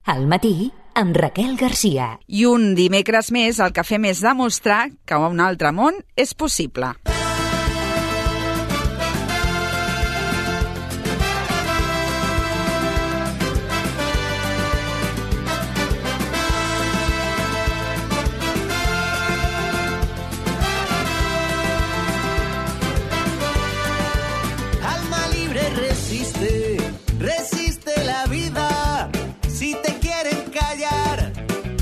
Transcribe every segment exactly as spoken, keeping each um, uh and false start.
Al matí, amb Raquel Garcia. I un dimecres més el que fem és demostrar que un altre món és possible. Alma libre resiste, resiste la vida. Si te quieren callar,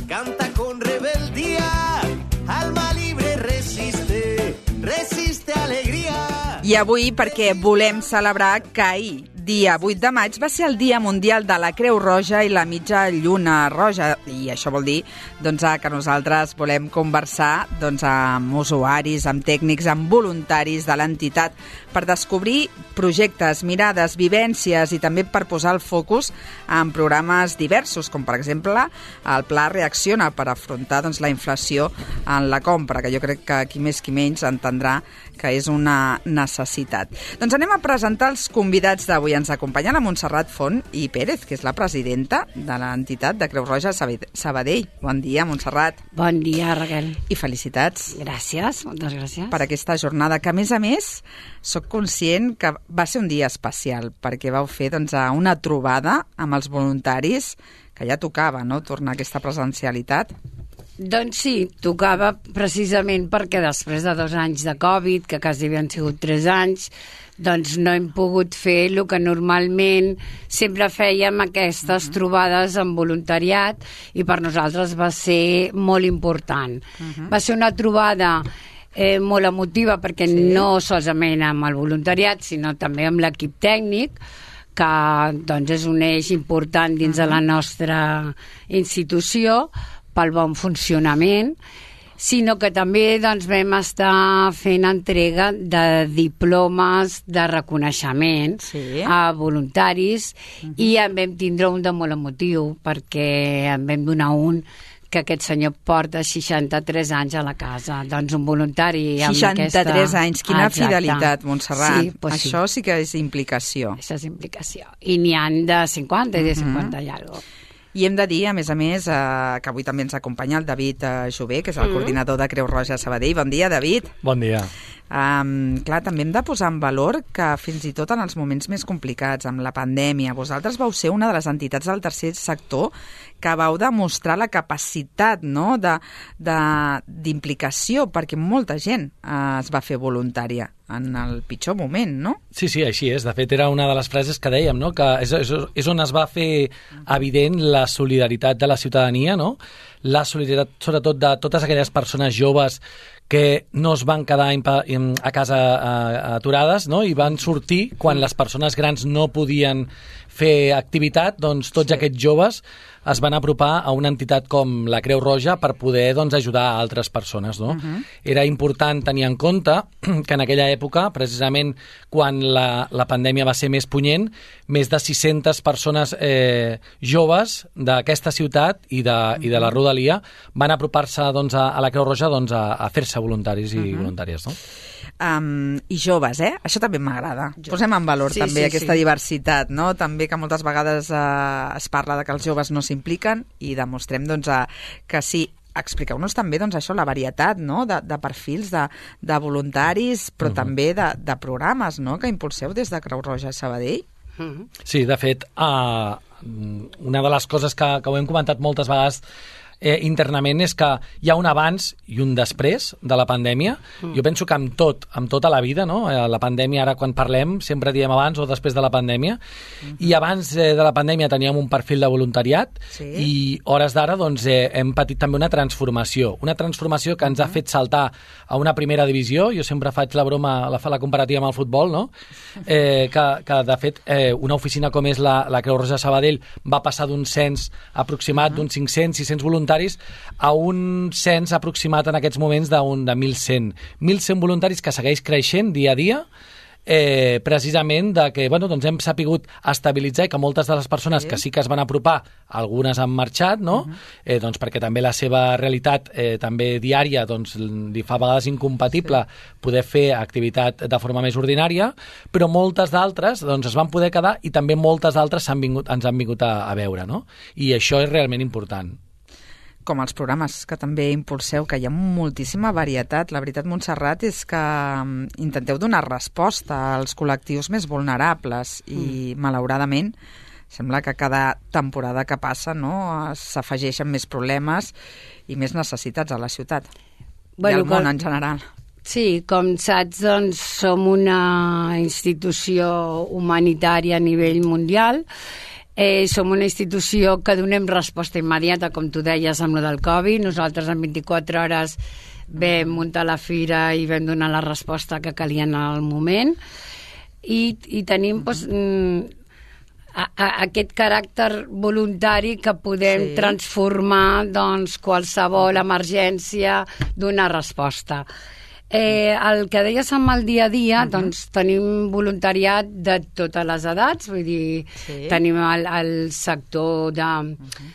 canta con rebeldía. Alma libre resiste, resiste alegría. I avui perquè volem celebrar que ahir, dia vuit de maig, va ser el Dia Mundial de la Creu Roja i la Mitja Lluna Roja. I això vol dir doncs, que nosaltres volem conversar doncs, amb usuaris, amb tècnics, amb voluntaris de l'entitat per descobrir projectes, mirades, vivències i també per posar el focus en programes diversos, com per exemple el Pla Reacciona per afrontar doncs, la inflació en la compra, que jo crec que qui més qui menys entendrà que és una necessitat. Doncs anem a presentar els convidats d'avui. Ens acompanya la Montserrat Font i Pérez, que és la presidenta de l'entitat de Creu Roja Sabadell. Bon dia, Montserrat. Bon dia, Raquel. I felicitats. Gràcies, moltes gràcies. Per aquesta jornada, que a més a més sóc conscient que va ser un dia especial, perquè vau fer doncs, una trobada amb els voluntaris, que ja tocava, no?, tornar a aquesta presencialitat. Doncs sí, tocava precisament perquè després de dos anys de Covid, que quasi havien sigut tres anys, doncs no hem pogut fer el que normalment sempre fèiem, aquestes uh-huh. trobades amb voluntariat, i per nosaltres va ser molt important. Uh-huh. Va ser una trobada eh, molt emotiva perquè sí. no solament amb el voluntariat, sinó també amb l'equip tècnic, que doncs, és un eix important dins uh-huh. de la nostra institució, pel bon funcionament, sinó que també doncs, vam estar fent entrega de diplomes de reconeixement sí. a voluntaris uh-huh. i en vam tindre un de molt emotiu, perquè en vam donar un que aquest senyor porta seixanta-tres anys a la casa. Doncs un voluntari amb seixanta-tres aquesta... seixanta-tres anys, quina Exacte. Fidelitat, Montserrat. Sí, pues Això sí. sí que és implicació. Això és implicació. I n'hi han de cinquanta i de cinquanta uh-huh. i alguna cosa. I hem de dir, a més a més, eh, que avui també ens acompanya el David eh, Jové, que és el mm. coordinador de Creu Roja Sabadell. Bon dia, David. Bon dia. Um, clar, també hem de posar en valor que fins i tot en els moments més complicats, amb la pandèmia, vosaltres vau ser una de les entitats del tercer sector que vau demostrar la capacitat, no?, de, de, d'implicació, perquè molta gent eh, es va fer voluntària en el pitjor moment, no? Sí, sí, així és. De fet, era una de les frases que dèiem, no?, que és, és, és on es va fer evident la solidaritat de la ciutadania, no?, la solidaritat sobretot de totes aquelles persones joves que no es van quedar a casa aturades, no?, i van sortir quan les persones grans no podien fer activitat, doncs tots sí. aquests joves es van apropar a una entitat com la Creu Roja per poder doncs, ajudar a altres persones. No? Uh-huh. Era important tenir en compte que en aquella època, precisament quan la, la pandèmia va ser més punyent, més de sis-centes persones eh, joves d'aquesta ciutat i de, uh-huh. i de la rodalia van apropar-se doncs, a, a la Creu Roja doncs, a, a fer-se voluntaris i uh-huh. voluntàries. No? Um, I joves, eh? Això també m'agrada. Posem en valor sí, també sí, aquesta sí. diversitat, no? També que moltes vegades uh, es parla de que els joves no s'impliquen i demostrem doncs, uh, que sí. Expliqueu-nos també doncs, això, la varietat no? de, de perfils de, de voluntaris, però uh-huh. també de, de programes no? que impulseu des de Creu Roja Sabadell. Uh-huh. Sí, de fet, uh, una de les coses que, que ho hem comentat moltes vegades eh, internament és que hi ha un abans i un després de la pandèmia. Mm. Jo penso que amb tot, amb tota la vida, no? Eh, la pandèmia, ara quan parlem, sempre diem abans o després de la pandèmia. Mm-hmm. I abans eh, de la pandèmia teníem un perfil de voluntariat sí. i hores d'ara doncs, eh, hem patit també una transformació. Una transformació que ens ha fet saltar a una primera divisió. Jo sempre faig la broma, la, la comparativa amb el futbol, no? Eh, que, que de fet eh, una oficina com és la, la Creu Roja Sabadell va passar d'un cens aproximat uh-huh. d'uns cinc-cents sis-cents voluntaris a un cens aproximat en aquests moments d'un de mil cent. mil cent voluntaris que segueix creixent dia a dia eh, precisament de que bueno, doncs hem sapigut estabilitzar i que moltes de les persones sí. que sí que es van apropar, algunes han marxat, no? Uh-huh. eh, doncs perquè també la seva realitat eh, també diària doncs, li fa a vegades incompatible sí. poder fer activitat de forma més ordinària, però moltes d'altres doncs, es van poder quedar i també moltes d'altres han vingut, ens han vingut a, a veure, no? I això és realment important. Com els programes que també impulseu, que hi ha moltíssima varietat. La veritat, Montserrat, és que intenteu donar resposta als col·lectius més vulnerables i, mm. malauradament, sembla que cada temporada que passa no, s'afegeixen més problemes i més necessitats a la ciutat bueno, i al món com... en general. Sí, com saps, doncs, som una institució humanitària a nivell mundial. Eh, som una institució que donem resposta immediata, com tu deies, amb el del Covid. Nosaltres en vint-i-quatre hores vam muntar la fira i vam donar la resposta que calia en el moment. I, i tenim doncs, a, a, aquest caràcter voluntari que podem sí. transformar doncs, qualsevol emergència, donar resposta. Eh, el que deies amb el dia a dia, uh-huh. doncs tenim voluntariat de totes les edats, vull dir, sí. tenim el, el sector de uh-huh.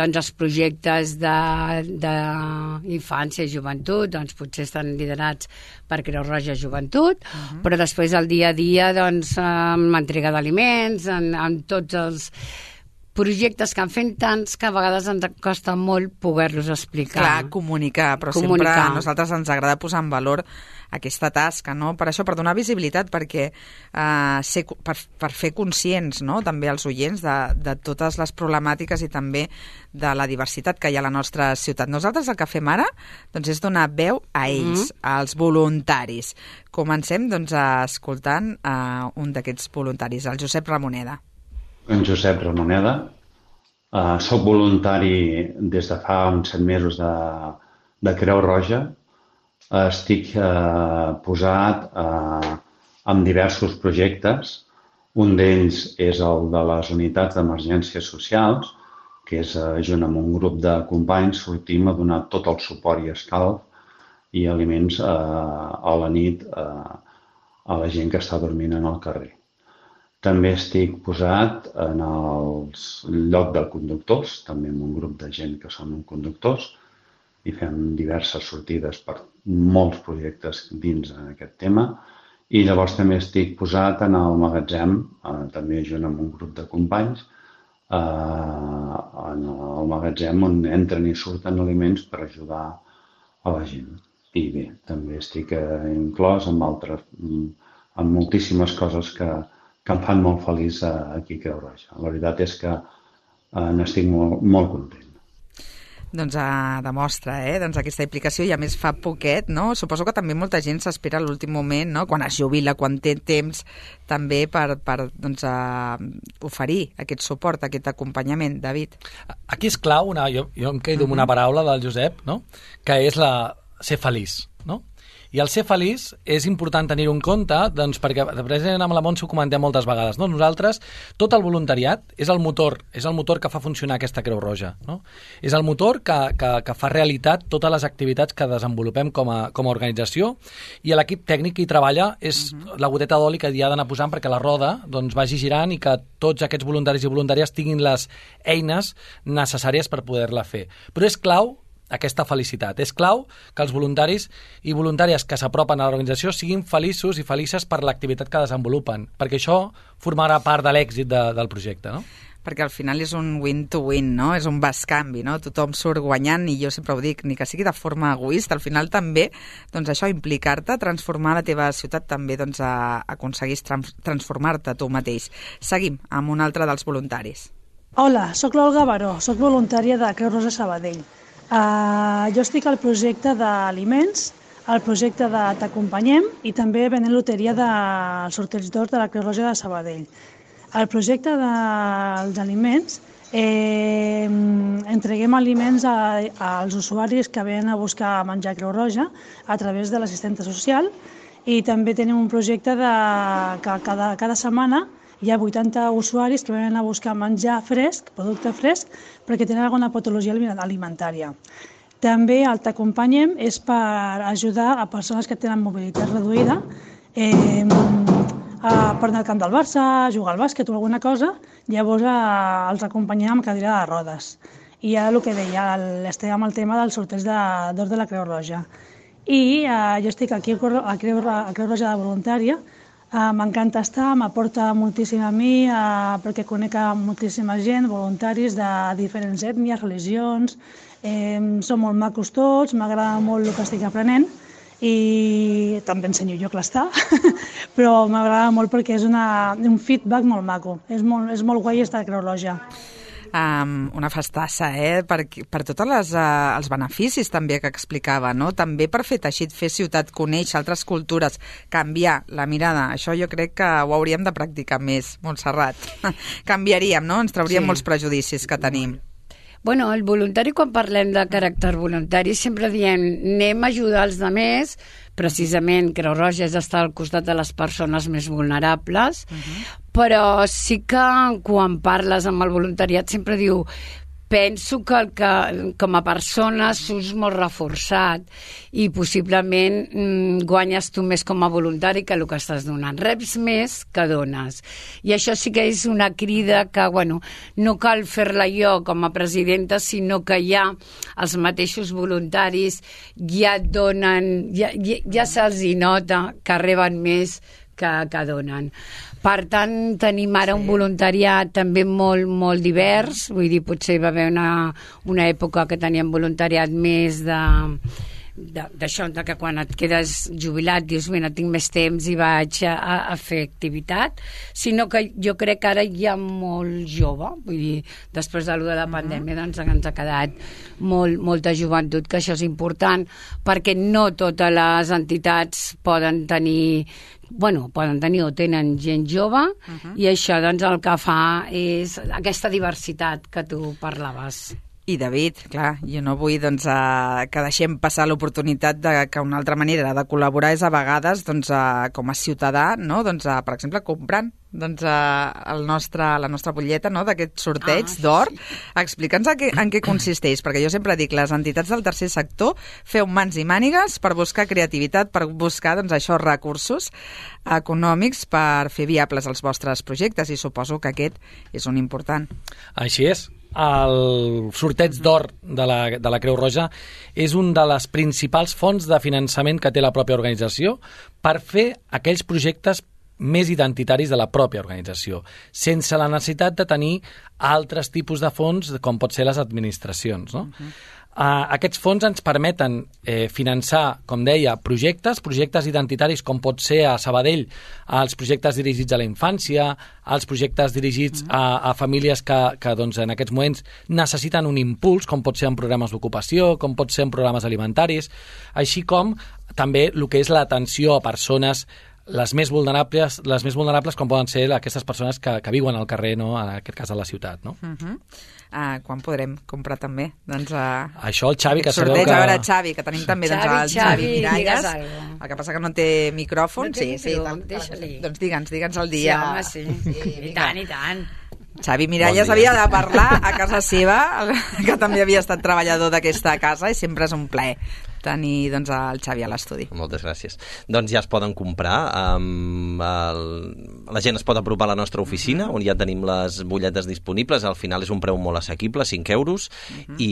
doncs els projectes d'infància i joventut, doncs potser estan liderats per Creu Roja Joventut, uh-huh. però després el dia a dia doncs amb l'entrega d'aliments, en, en tots els projectes que en fem tants que a vegades ens costa molt poder-los explicar. Clar, comunicar, però comunicar. Sempre a nosaltres ens agrada posar en valor aquesta tasca, no? Per això, per donar visibilitat, perquè eh, ser, per, per fer conscients, no?, també els oients de, de totes les problemàtiques i també de la diversitat que hi ha a la nostra ciutat. Nosaltres el que fem ara doncs, és donar veu a ells, mm-hmm. als voluntaris. Comencem doncs, escoltant eh, un d'aquests voluntaris, el Josep Ramoneda. En Josep Ramoneda. Uh, soc voluntari des de fa uns set mesos de, de Creu Roja. Uh, estic uh, posat uh, en diversos projectes. Un d'ells és el de les unitats d'emergències socials, que és, uh, junt amb un grup de companys, sortim a donar tot el suport i escalf i aliments uh, a la nit uh, a la gent que està dormint en el carrer. També estic posat en el lloc de conductors, també amb un grup de gent que són conductors, i fem diverses sortides per molts projectes dins aquest tema. I llavors també estic posat en el magatzem, eh, també junt amb un grup de companys, eh, en el magatzem on entren i surten aliments per ajudar a la gent. I bé, també estic eh, inclòs amb altres, amb moltíssimes coses que que em fan molt feliç aquí a Creu Roja. La veritat és que eh, n'estic molt, molt content. Doncs eh, demostra eh? doncs aquesta implicació i a més fa poquet, no? Suposo que també molta gent s'espera a l'últim moment, no? Quan es jubila, quan té temps també per, per doncs, eh, oferir aquest suport, aquest acompanyament. David? Aquí és clau, una, jo, jo em quedo uh-huh. amb una paraula del Josep, no? Que és la ser feliç, no? I el ser feliç és important tenir-ho en compte, doncs, perquè precisament amb la Montse ho comentem moltes vegades. No? Nosaltres, tot el voluntariat és el motor, és el motor que fa funcionar aquesta Creu Roja. No? És el motor que, que, que fa realitat totes les activitats que desenvolupem com a, com a organització, i l'equip tècnic que hi treballa és uh-huh. la goteta d'oli que hi ha d'anar posant perquè la roda doncs, vagi girant i que tots aquests voluntaris i voluntàries tinguin les eines necessàries per poder-la fer. Però és clau aquesta felicitat. És clau que els voluntaris i voluntàries que s'apropen a l'organització siguin feliços i felices per l'activitat que desenvolupen, perquè això formarà part de l'èxit de, del projecte, no? Perquè al final és un win-to-win, no? És un bascanvi, no? Tothom surt guanyant i jo sempre ho dic, ni que sigui de forma egoista, al final també, doncs això, implicar-te, transformar la teva ciutat també, doncs, a, aconseguis trans, transformar-te tu mateix. Seguim amb un altre dels voluntaris. Hola, sóc l'Olga Baró, sóc voluntària de Creu Roja Sabadell. Uh, jo estic al projecte d'aliments, al projecte de T'Acompanyem i també venent loteria del sorteig d'or de la Creu Roja de Sabadell. El projecte dels aliments, eh, entreguem aliments a, als usuaris que venen a buscar menjar a Creu Roja a través de l'assistenta social, i també tenim un projecte de, que cada, cada setmana hi ha vuitanta usuaris que venen a buscar menjar fresc, producte fresc, perquè tenen alguna patologia alimentària. També el T'Acompanyem és per ajudar a persones que tenen mobilitat reduïda, eh, uh, per anar al camp del Barça, jugar al bàsquet o alguna cosa, llavors uh, els acompanyem amb cadira de rodes. I ara el que deia, el, estem amb el tema del sorteig d'or de, de la Creu Roja. I uh, jo estic aquí a Creu, a Creu Roja de voluntària. Uh, M'encanta estar, m'aporta moltíssim a mi uh, perquè conec moltíssima gent, voluntaris de diferents ètnies, religions, eh, són molt macos tots, m'agrada molt el que estic aprenent i també ensenyo jo a clastar, però m'agrada molt perquè és una, un feedback molt maco, és molt, és molt guai estar a Creu Roja. Um, una festassa, eh? Per, per tots uh, els beneficis també que explicava, no? També per fer teixit, fer ciutat, conèixer altres cultures, canviar la mirada. Això jo crec que ho hauríem de practicar més, Montserrat. Canviaríem, no? Ens trauríem sí. molts prejudicis que tenim. Bueno, el voluntari, quan parlem de caràcter voluntari, sempre diem anem a ajudar els altres, precisament Creu Roja és estar al costat de les persones més vulnerables, uh-huh. però sí que quan parles amb el voluntariat sempre diu penso que, el que com a persona surts molt reforçat i possiblement mm, guanyes tu més com a voluntari que el que estàs donant. Reps més que dones. I això sí que és una crida que, bueno, no cal fer-la jo com a presidenta, sinó que ja els mateixos voluntaris ja et donen, ja, ja, ja se'ls hi nota que reben més que, que donen. Per tant, tenim ara sí. un voluntariat també molt, molt divers, vull dir, potser va haver una, una època que teníem voluntariat més de d'això, de que quan et quedes jubilat dius, mira, tinc més temps i vaig a, a fer activitat, sinó que jo crec que ara hi ha molt jove, vull dir, després de la pandèmia doncs ens ha quedat molt, molta joventut, que això és important, perquè no totes les entitats poden tenir bueno, poden tenir o tenen gent jove uh-huh. i això doncs el que fa és aquesta diversitat que tu parlaves. I David, clar, jo no vull doncs, uh, que deixem passar l'oportunitat de que una altra manera de col·laborar és a vegades doncs, uh, com a ciutadà, no? doncs, uh, per exemple, comprant doncs, uh, el nostre, la nostra butlleta no? d'aquest sorteig ah, d'or. Sí. Explica'ns en què, en què consisteix, perquè jo sempre dic, les entitats del tercer sector feu mans i mànigues per buscar creativitat, per buscar doncs, això, recursos econòmics per fer viables els vostres projectes, i suposo que aquest és un important. Així és. El sorteig d'or de la, de la Creu Roja és un de les principals fonts de finançament que té la pròpia organització per fer aquells projectes més identitaris de la pròpia organització, sense la necessitat de tenir altres tipus de fons com pot ser les administracions, no? Uh-huh. Uh, aquests fons ens permeten eh, finançar, com deia, projectes, projectes identitaris com pot ser a Sabadell, els projectes dirigits a la infància, els projectes dirigits uh-huh. a, a famílies que, que doncs, en aquests moments necessiten un impuls, com pot ser en programes d'ocupació, com pot ser en programes alimentaris, així com també el que és l'atenció a persones les més vulnerables, les més vulnerables com poden ser aquestes persones que, que viuen al carrer, no? En aquest cas a la ciutat, no? Uh-huh. Uh, quan podrem comprar també? Doncs, uh, això el Xavi, que sabeu sorteig, que... a veure, Xavi, que tenim també doncs, Xavi, el Xavi Miralles. el que passa que no té micròfon. No té sí, sí, micròfon, tal, deixa-li. Doncs digue'ns, digue'ns el dia. Sí, home, sí. sí I tant, i tant. Xavi Miralles bon havia de parlar a casa seva, que també havia estat treballador d'aquesta casa, i sempre és un plaer tenir doncs, el Xavi a l'estudi. Moltes gràcies. Doncs ja es poden comprar. Um, el, la gent es pot apropar a la nostra oficina, on ja tenim les butlletes disponibles. Al final és un preu molt assequible, cinc euros, uh-huh. i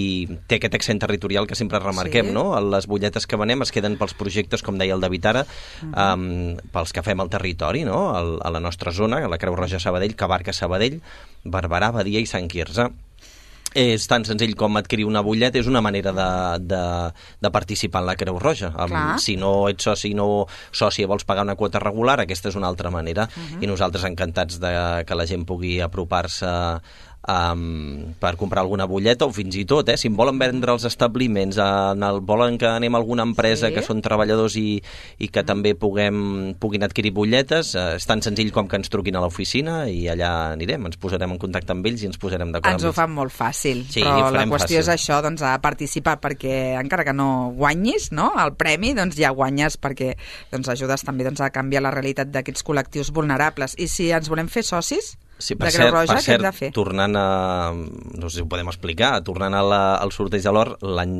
té aquest accent territorial que sempre remarquem, sí. no? Les butlletes que venem es queden pels projectes, com deia el David ara, uh-huh. um, pels que fem al territori, no? El, a la nostra zona, a la Creu Roja Sabadell, que abarca Sabadell, Barberà, Badia i Sant Quirze. És tan senzill com adquirir una butlleta, és una manera de, de, de participar en la Creu Roja. Um, si no ets soci no sòcia vols pagar una quota regular, aquesta és una altra manera. Uh-huh. I nosaltres encantats de que la gent pugui apropar-se Um, per comprar alguna butlleta, o fins i tot, eh, si em volen vendre els establiments, en el, volen que anem a alguna empresa sí. que són treballadors i, i que també puguem, puguin adquirir butlletes, eh, és tan senzill com que ens truquin a l'oficina i allà anirem, ens posarem en contacte amb ells i ens posarem d'acord. Ens ho fan molt fàcil, sí, però la qüestió fàcil. És això, doncs, a participar, perquè encara que no guanyis, no, el premi, doncs ja guanyes perquè doncs, ajudes també doncs, a canviar la realitat d'aquests col·lectius vulnerables. I si ens volem fer socis sí, per de Creu cert, Roja, per què cert, hem de fer? Tornant a... no sé si ho podem explicar, tornant a la, al sorteig de l'or, l'any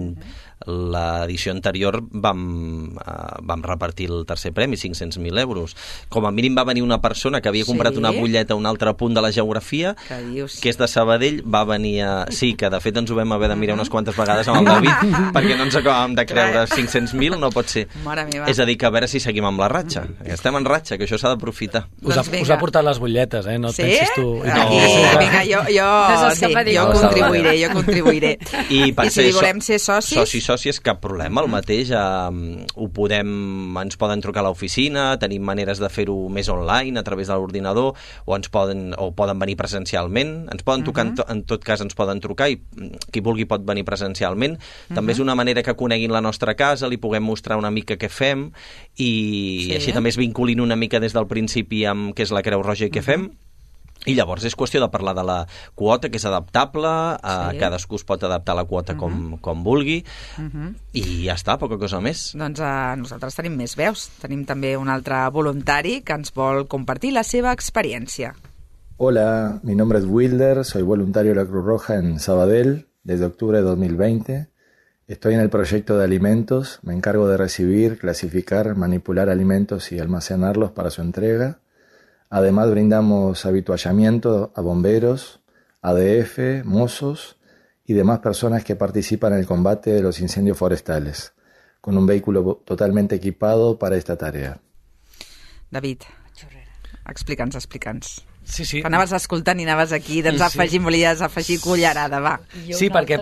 l'edició anterior vam, uh, vam repartir el tercer premi, cinc-cents mil euros. Com a mínim va venir una persona que havia comprat Sí? una butlleta a un altre punt de la geografia, Que dius? que és de Sabadell, va venir a... Sí, que de fet ens ho vam haver de mirar unes quantes vegades amb el David, perquè no ens acabàvem de creure cinc-cents mil, no pot ser. Mare meva. És a dir, que a veure si seguim amb la ratxa. Estem en ratxa, que això s'ha d'aprofitar. Us ha, Doncs vinga. us ha portat les butlletes, eh? No et Sí? pensis tu... I Aquí, tu- vinga, jo, jo, No sí, s'escapa ningú. jo No contribuiré, s'escapa. jo contribuiré. I, per I si ser volem so- ser socis? Socis, sòcies, cap problema, el mateix. Eh, ho podem, ens poden trucar a l'oficina, tenim maneres de fer-ho més online, a través de l'ordinador, o ens poden, o poden venir presencialment. Ens poden trucar, en, to, en tot cas ens poden trucar, i qui vulgui pot venir presencialment. També és una manera que coneguin la nostra casa, li puguem mostrar una mica què fem, i, Sí. i així també es vinculin una mica des del principi amb què és la Creu Roja i què fem. I llavors és qüestió de parlar de la quota, que és adaptable, sí. Cadascú es pot adaptar a la quota com, com vulgui, i ja està, poca cosa més. Doncs eh, nosaltres tenim més veus. Tenim també un altre voluntari que ens vol compartir la seva experiència. Hola, mi nombre es Wilder, soy voluntario de la Cruz Roja en Sabadell desde octubre de dos mil veinte. Estoy en el proyecto de alimentos, me encargo de recibir, clasificar, manipular alimentos y almacenarlos para su entrega. Además brindamos habituallamiento a bomberos, A D F, mozos y demás personas que participan en el combate de los incendios forestales, con un vehículo totalmente equipado para esta tarea. David, explica'ns, explica'ns. Sí, sí. Que anaves escoltant i anaves aquí, doncs Sí. afegir, volies afegir cullerada, va. Sí, perquè,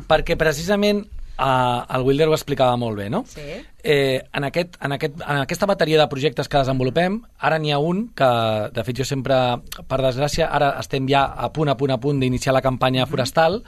perquè precisament uh, el Wilder ho explicava molt bé, no? Sí. Eh, en, aquest, en, aquest, en aquesta bateria de projectes que desenvolupem, ara n'hi ha un que, de fet, jo sempre, per desgràcia, ara estem ja a punt, a punt, a punt d'iniciar la campanya forestal,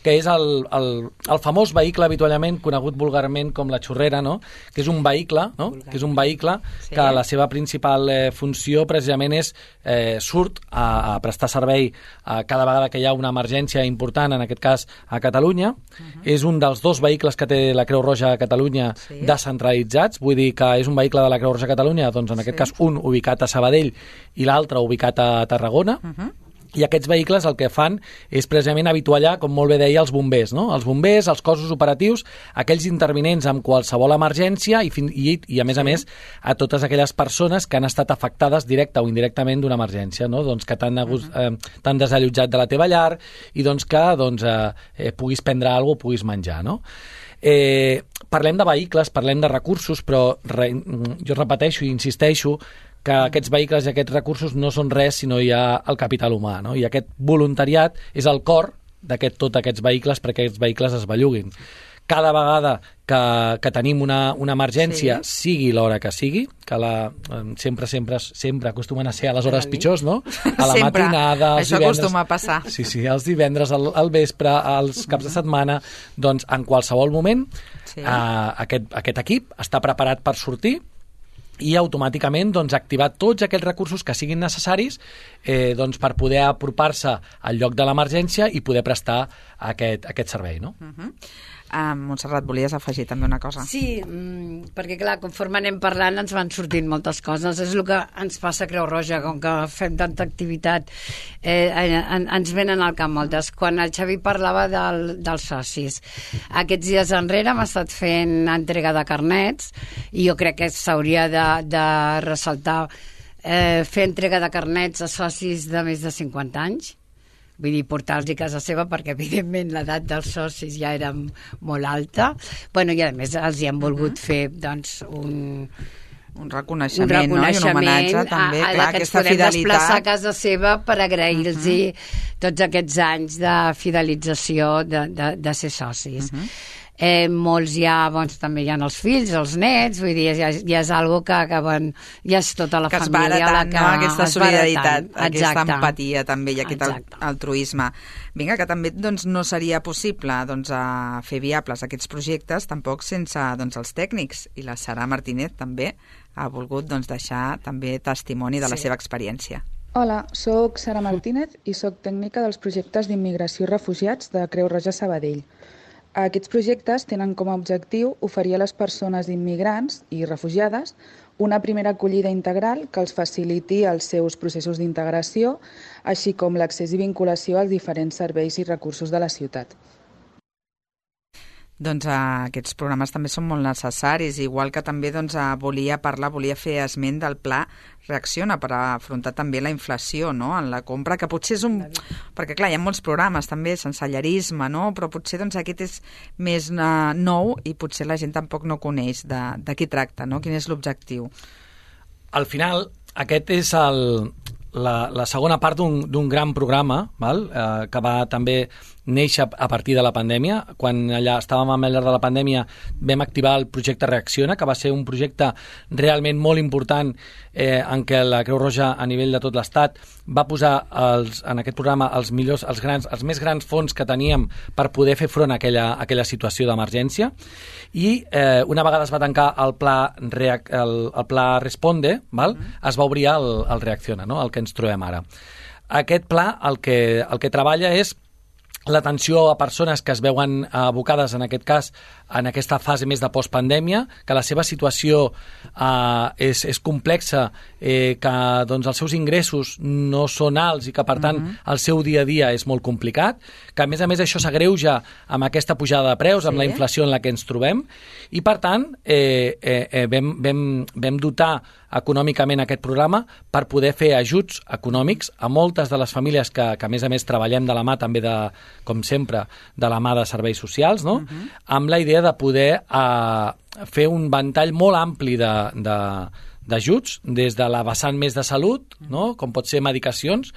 que és el, el, el famós vehicle habitualment conegut vulgarment com la xurrera, no? Que és un vehicle, no? Que és un vehicle Sí. que la seva principal eh, funció precisament és eh, surt a, a prestar servei a cada vegada que hi ha una emergència important, en aquest cas a Catalunya. Uh-huh. És un dels dos vehicles que té la Creu Roja a Catalunya Sí. descentralitzats, vull dir que és un vehicle de la Creu Roja a Catalunya, doncs en aquest Sí. cas un ubicat a Sabadell i l'altre ubicat a Tarragona. Uh-huh. I aquests vehicles el que fan és precisament habituallar, com molt bé deia, els bombers, no? Els bombers, els cossos operatius, aquells intervinents amb qualsevol emergència i, fin i, i a més a més, a totes aquelles persones que han estat afectades directa o indirectament d'una emergència, no? Doncs que t'han eh, t'han desallotjat de la teva llar i doncs que doncs, eh, eh, puguis prendre alguna cosa, puguis menjar, no? Eh, parlem de vehicles, parlem de recursos, però re, jo repeteixo i insisteixo que aquests vehicles i aquests recursos no són res si no hi ha el capital humà, no? I aquest voluntariat és el cor d'aquest tots aquests vehicles perquè aquests vehicles es belluguin. Cada vegada que, que tenim una, una emergència, sí. sigui l'hora que sigui, que la, sempre, sempre, sempre acostumen a ser a les hores pitjors, no? A la Sempre. matinada, els Això divendres... acostuma a passar. Sí, sí, els divendres, al, al vespre, als caps de setmana, doncs en qualsevol moment Sí. eh, aquest, aquest equip està preparat per sortir i automàticament doncs, activar tots aquells recursos que siguin necessaris eh, doncs, per poder apropar-se al lloc de l'emergència i poder prestar aquest, aquest servei, no? Uh-huh. Uh, Montserrat, volies afegir també una cosa? Sí, mmm, perquè clar, conforme anem parlant ens van sortint moltes coses. És el que ens passa a Creu Roja, com que fem tanta activitat, eh, en, ens venen al cap moltes. Quan el Xavi parlava del, dels socis, aquests dies enrere hem estat fent entrega de carnets i jo crec que s'hauria de, de ressaltar eh, fer entrega de carnets a socis de més de cinquanta anys. Vull dir, portar-los a casa seva perquè, evidentment, l'edat dels socis ja era molt alta. Bueno, i, a més, els hi han volgut uh-huh. fer, doncs, un... Un reconeixement, un reconeixement, no? I un homenatge, també. A, a Clar, que ens aquesta podem fidelitat. desplaçar a casa seva per agrair-los uh-huh. tots aquests anys de fidelització de, de, de ser socis. Uh-huh. Eh, molts ja, doncs, també hi ha els fills, els nets, vull dir, ja, ja és algo que, que bon, ja és tota la que família tant, la que no? Aquesta solidaritat, tant. aquesta Exacte. empatia també i aquest Exacte. altruisme. Vinga, que també doncs, no seria possible doncs, a fer viables aquests projectes tampoc sense doncs, els tècnics, i la Sara Martínez també ha volgut doncs, deixar també testimoni de la Sí. seva experiència. Hola, sóc Sara Martínez i sóc tècnica dels projectes d'immigració i refugiats de Creu Roja Sabadell. Aquests projectes tenen com a objectiu oferir a les persones immigrants i refugiades una primera acollida integral que els faciliti els seus processos d'integració, així com l'accés i vinculació als diferents serveis i recursos de la ciutat. Doncs uh, aquests programes també són molt necessaris, igual que també doncs, uh, volia parlar, volia fer esment del Pla Reacciona per afrontar també la inflació, no?, en la compra, que potser és un... Perquè, clar, hi ha molts programes també, sensellarisme, no?, però potser doncs, aquest és més uh, nou i potser la gent tampoc no coneix de, de qui tracta, no?, quin és l'objectiu. Al final, aquest és el, la, la segona part d'un gran programa, val? Eh, que va també néixer a partir de la pandèmia. Quan allà estàvem a llarg de la pandèmia vam activar el projecte Reacciona, que va ser un projecte realment molt important eh, en què la Creu Roja a nivell de tot l'Estat va posar els, en aquest programa els millors, els, grans, els més grans fons que teníem per poder fer front a aquella, a aquella situació d'emergència. I eh, una vegada es va tancar el pla, Reac, el, el pla Responde, val? Mm. es va obrir el, el Reacciona, no? El que ens trobem ara. Aquest pla el que, el que treballa és l'atenció a persones que es veuen abocades, en aquest cas, en aquesta fase més de postpandèmia, que la seva situació eh, és, és complexa, eh, que doncs, els seus ingressos no són alts i que, per tant, uh-huh. el seu dia a dia és molt complicat, que, a més a més, això s'agreuja amb aquesta pujada de preus, amb sí. la inflació en la que ens trobem, i, per tant, eh, eh, eh, vam, vam, vam dotar econòmicament aquest programa per poder fer ajuts econòmics a moltes de les famílies que, que a més a més treballem de la mà també de, com sempre, de la mà de serveis socials, no? Uh-huh. Amb la idea de poder eh, fer un ventall molt ampli de, de, d'ajuts, des de la vessant més de salut, no? Com pot ser medicacions.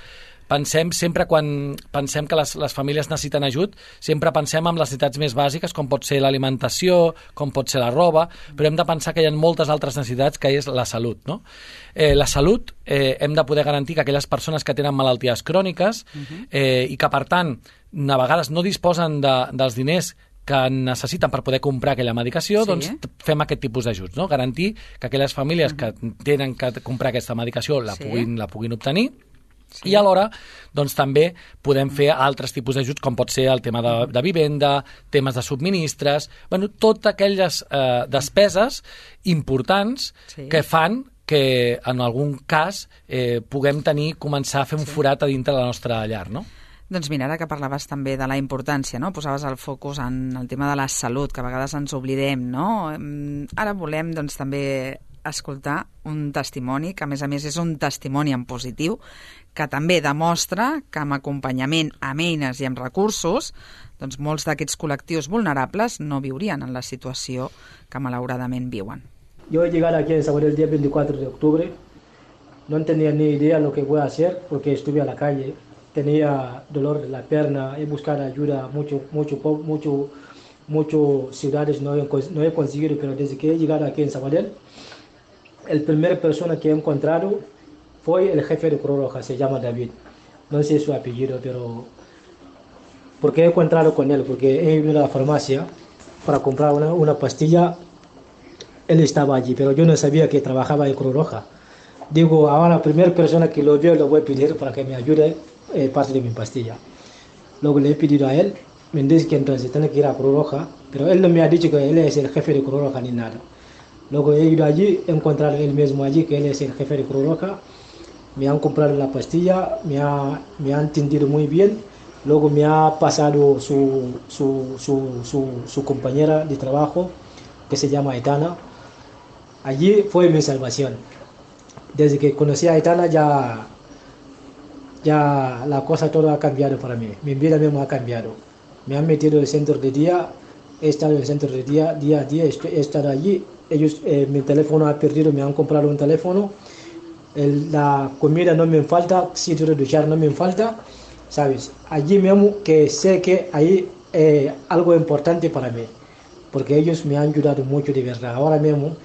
Pensem sempre, quan pensem que les, les famílies necessiten ajut, sempre pensem en les necessitats més bàsiques, com pot ser l'alimentació, com pot ser la roba, però hem de pensar que hi ha moltes altres necessitats, que és la salut, no? Eh, la salut eh, hem de poder garantir que aquelles persones que tenen malalties cròniques eh, i que, per tant, a vegades no disposen de, dels diners que necessiten per poder comprar aquella medicació, sí. doncs fem aquest tipus d'ajuts, no? Garantir que aquelles famílies que tenen que comprar aquesta medicació la, sí. puguin, la puguin obtenir. Sí. I alhora doncs, també podem fer altres tipus d'ajuts, com pot ser el tema de, de vivenda, temes de subministres, bueno, totes aquelles eh, despeses importants sí. que fan que en algun cas eh, puguem tenir, començar a fer un sí. forat a dintre de la nostra llar, no? Doncs mira, ara que parlaves també de la importància, no? Posaves el focus en el tema de la salut, que a vegades ens oblidem, no? Ara volem doncs, també escoltar un testimoni, que a més a més és un testimoni en positiu, que també demostra que amb acompanyament, amb eines i amb recursos, doncs molts d'aquests col·lectius vulnerables no viurien en la situació que malauradament viuen. Yo he llegado aquí en Sabadell el día veinticuatro de octubre, no tenía ni idea lo que voy a hacer porque estuve a la calle, tenía dolor de la pierna, he buscado ayuda, mucho, mucho, mucho, muchas ciudades no he, no he conseguido, pero desde que he llegado aquí en Sabadell, el primer persona que he encontrado fue el jefe de Cruz Roja, se llama David. No sé su apellido, pero... ¿Por qué he encontrado con él? Porque he ido a la farmacia para comprar una, una pastilla. Él estaba allí, pero yo no sabía que trabajaba en Cruz Roja. Digo, ahora la primera persona que lo veo lo voy a pedir para que me ayude eh, parte de mi pastilla. Luego le he pedido a él, me dice que entonces tiene que ir a Cruz Roja, pero él no me ha dicho que él es el jefe de Cruz Roja ni nada. Luego he ido allí, he encontrado él mismo allí, que él es el jefe de Cruz Roja. Me han comprado la pastilla, me, ha, me han atendido muy bien. Luego me ha pasado su, su, su, su, su compañera de trabajo, que se llama Aitana. Allí fue mi salvación. Desde que conocí a Aitana ya, ya la cosa toda ha cambiado para mí. Mi vida misma ha cambiado. Me han metido en el centro de día, he estado en el centro de día, día a día, he estado allí. Ellos, eh, mi teléfono ha perdido, me han comprado un teléfono. El, la comida no me falta, sitio de duchar no me falta, ¿sabes? Allí mismo que sé que hay eh, algo importante para mí, porque ellos me han ayudado mucho de verdad. Ahora mismo,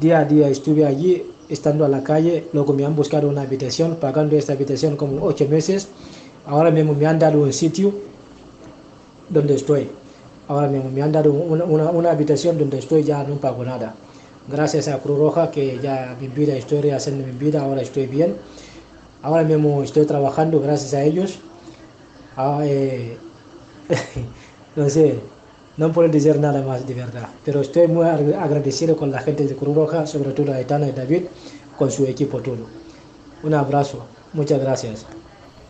día a día estuve allí, estando a la calle, luego me han buscado una habitación, pagando esta habitación como ocho meses. Ahora mismo me han dado un sitio donde estoy. Ahora mismo me han dado una, una, una habitación donde estoy, ya no pago nada. Gracias a Cruz Roja, que ya mi vida, estoy rehaciendo mi vida, ahora estoy bien. Ahora mismo estoy trabajando gracias a ellos. Ah, eh, no sé, no puedo decir nada más de verdad, pero estoy muy agradecido con la gente de Cruz Roja, sobre todo a Aitana y David, con su equipo todo. Un abrazo, muchas gracias.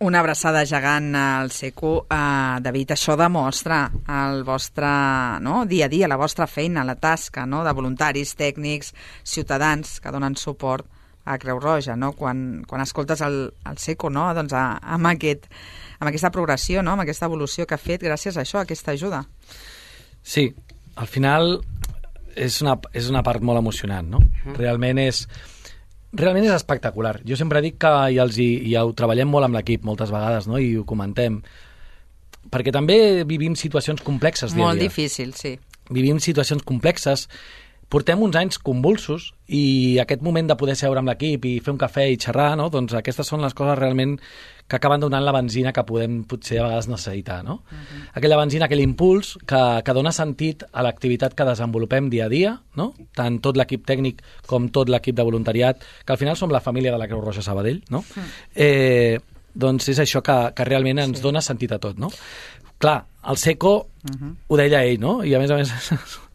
Una abraçada gegant al Seco. Uh, David, això demostra el vostre no, dia a dia, la vostra feina, la tasca no, de voluntaris, tècnics, ciutadans que donen suport a Creu Roja, no? Quan, quan escoltes el, el Seco, no? Doncs a, amb, aquest, amb aquesta progressió, no? Amb aquesta evolució que ha fet gràcies a això, a aquesta ajuda. Sí, al final és una, és una part molt emocionant, no? Uh-huh. Realment és realment és espectacular. Jo sempre dic que i els hi, ja ho treballem molt amb l'equip moltes vegades, no? I ho comentem. Perquè també vivim situacions complexes dia a dia. Molt difícil, sí. Vivim situacions complexes. Portem uns anys convulsos i aquest moment de poder seure amb l'equip i fer un cafè i xerrar, no? Doncs aquestes són les coses realment que acaben donant la benzina que podem potser a vegades necessitar, no? Uh-huh. Aquella benzina, aquell impuls que, que dona sentit a l'activitat que desenvolupem dia a dia, no? Tant tot l'equip tècnic com tot l'equip de voluntariat, que al final som la família de la Creu Roja Sabadell, no? Uh-huh. Eh, doncs és això que, que realment ens sí. dona sentit a tot, no? Clar, el Seco uh-huh. ho deia ell, no? I a més a més...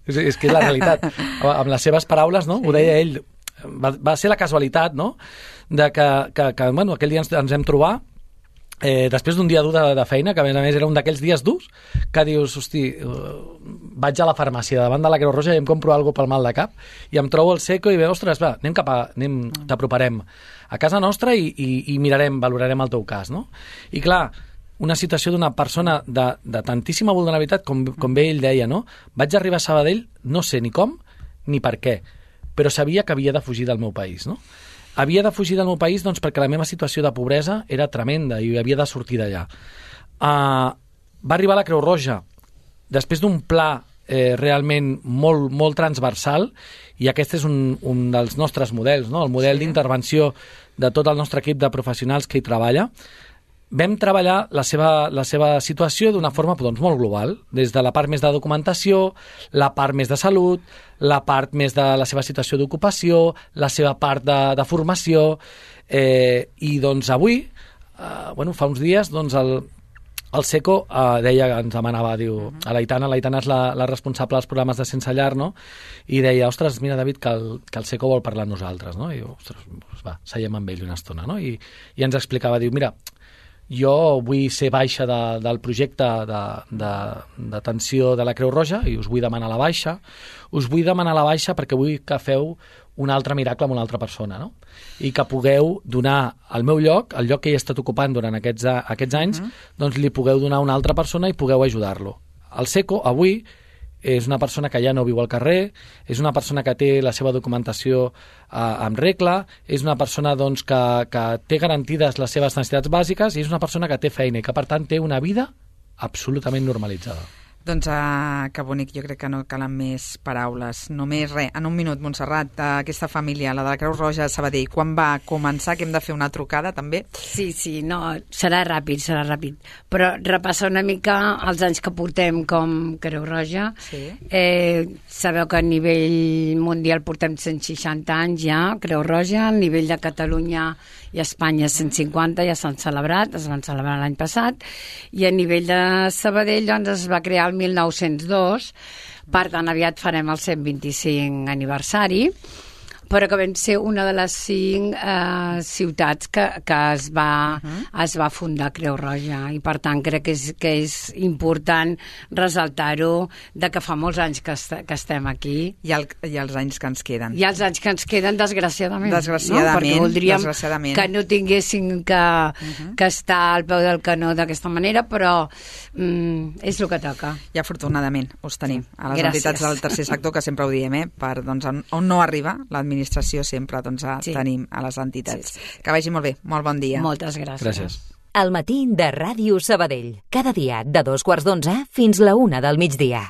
És, és que és la realitat. Amb les seves paraules, no? Sí. Ho deia ell. Va, va ser la casualitat, no? De que, que, que bueno, aquell dia ens, ens vam trobar eh, després d'un dia dur de, de feina, que a més a més era un d'aquells dies durs, que dius, hosti, uh, vaig a la farmàcia davant de la Creu Roja i em compro alguna pel mal de cap, i em trobo el Seco i ve, ostres, va, anem cap a... Anem, t'aproparem a casa nostra i, i, i mirarem, valorarem el teu cas, no? I clar, una situació d'una persona de, de tantíssima vulnerabilitat, com, com bé ell deia, no? Vaig arribar a Sabadell, no sé ni com ni per què, però sabia que havia de fugir del meu país, no? Havia de fugir del meu país doncs, perquè la meva situació de pobresa era tremenda i havia de sortir d'allà. Uh, va arribar a la Creu Roja després d'un pla eh, realment molt, molt transversal, i aquest és un, un dels nostres models, no? El model sí. d'intervenció de tot el nostre equip de professionals que hi treballa. Vam treballar la seva, la seva situació d'una forma doncs, molt global, des de la part més de documentació, la part més de salut, la part més de la seva situació d'ocupació, la seva part de, de formació, eh, i doncs avui, eh, bueno, fa uns dies, doncs el, el Seco eh, deia, ens demanava, diu, a l'Aitana, l'Aitana és la, la responsable dels programes de Sense Llar, no? I deia, ostres, mira, David, que el, que el Seco vol parlar amb nosaltres, no? I diu, ostres, doncs va, seiem amb ell una estona, no? I, i ens explicava, diu, mira, jo vull ser baixa de, del projecte d'atenció de, de, de la Creu Roja i us vull demanar la baixa. Us vull demanar la baixa perquè vull que feu un altre miracle amb una altra persona, no? I que pugueu donar al meu lloc, el lloc que he estat ocupant durant aquests, aquests anys, uh-huh. doncs li pugueu donar a una altra persona i pugueu ajudar-lo. El Seco, avui, és una persona que ja no viu al carrer, és una persona que té la seva documentació eh, en regla, és una persona doncs, que, que té garantides les seves necessitats bàsiques i és una persona que té feina i que, per tant, té una vida absolutament normalitzada. Doncs uh, que bonic, jo crec que no calen més paraules. Només res, en un minut, Montserrat, uh, aquesta família, la de la Creu Roja Sabadell, quan va començar, que hem de fer una trucada també? Sí, sí, no, serà ràpid, serà ràpid. Però repassar una mica els anys que portem com Creu Roja. Sí. Eh, sabeu que a nivell mundial portem cent seixanta anys ja, Creu Roja, a nivell de Catalunya i Espanya cent cinquanta ja s'han celebrat, es van celebrar l'any passat, i a nivell de Sabadell doncs, es va crear el mil nou-cents dos, per tant aviat farem el cent vint-i-cinc aniversari, però que vam ser una de les cinc eh, ciutats que, que es, va, uh-huh. es va fundar Creu Roja, i per tant crec que és, que és important ressaltar-ho, de que fa molts anys que, est que estem aquí. I, el, I els anys que ens queden. I els anys que ens queden, desgraciadament. Desgraciadament. No? Perquè voldríem desgraciadament. que no tinguéssim que, uh-huh. que estar al peu del canó d'aquesta manera, però mm, és el que toca. I afortunadament us tenim a les Gràcies. entitats del tercer sector, que sempre ho diem, eh? Per, doncs, on, on no arriba l'administració, administració sempre doncs, sí. tenim a les entitats. Sí, sí. Que vagi molt bé. Molt bon dia. Moltes gràcies. Gràcies. El matí de Ràdio Sabadell. Cada dia de dos quarts d'onze fins la una del migdia.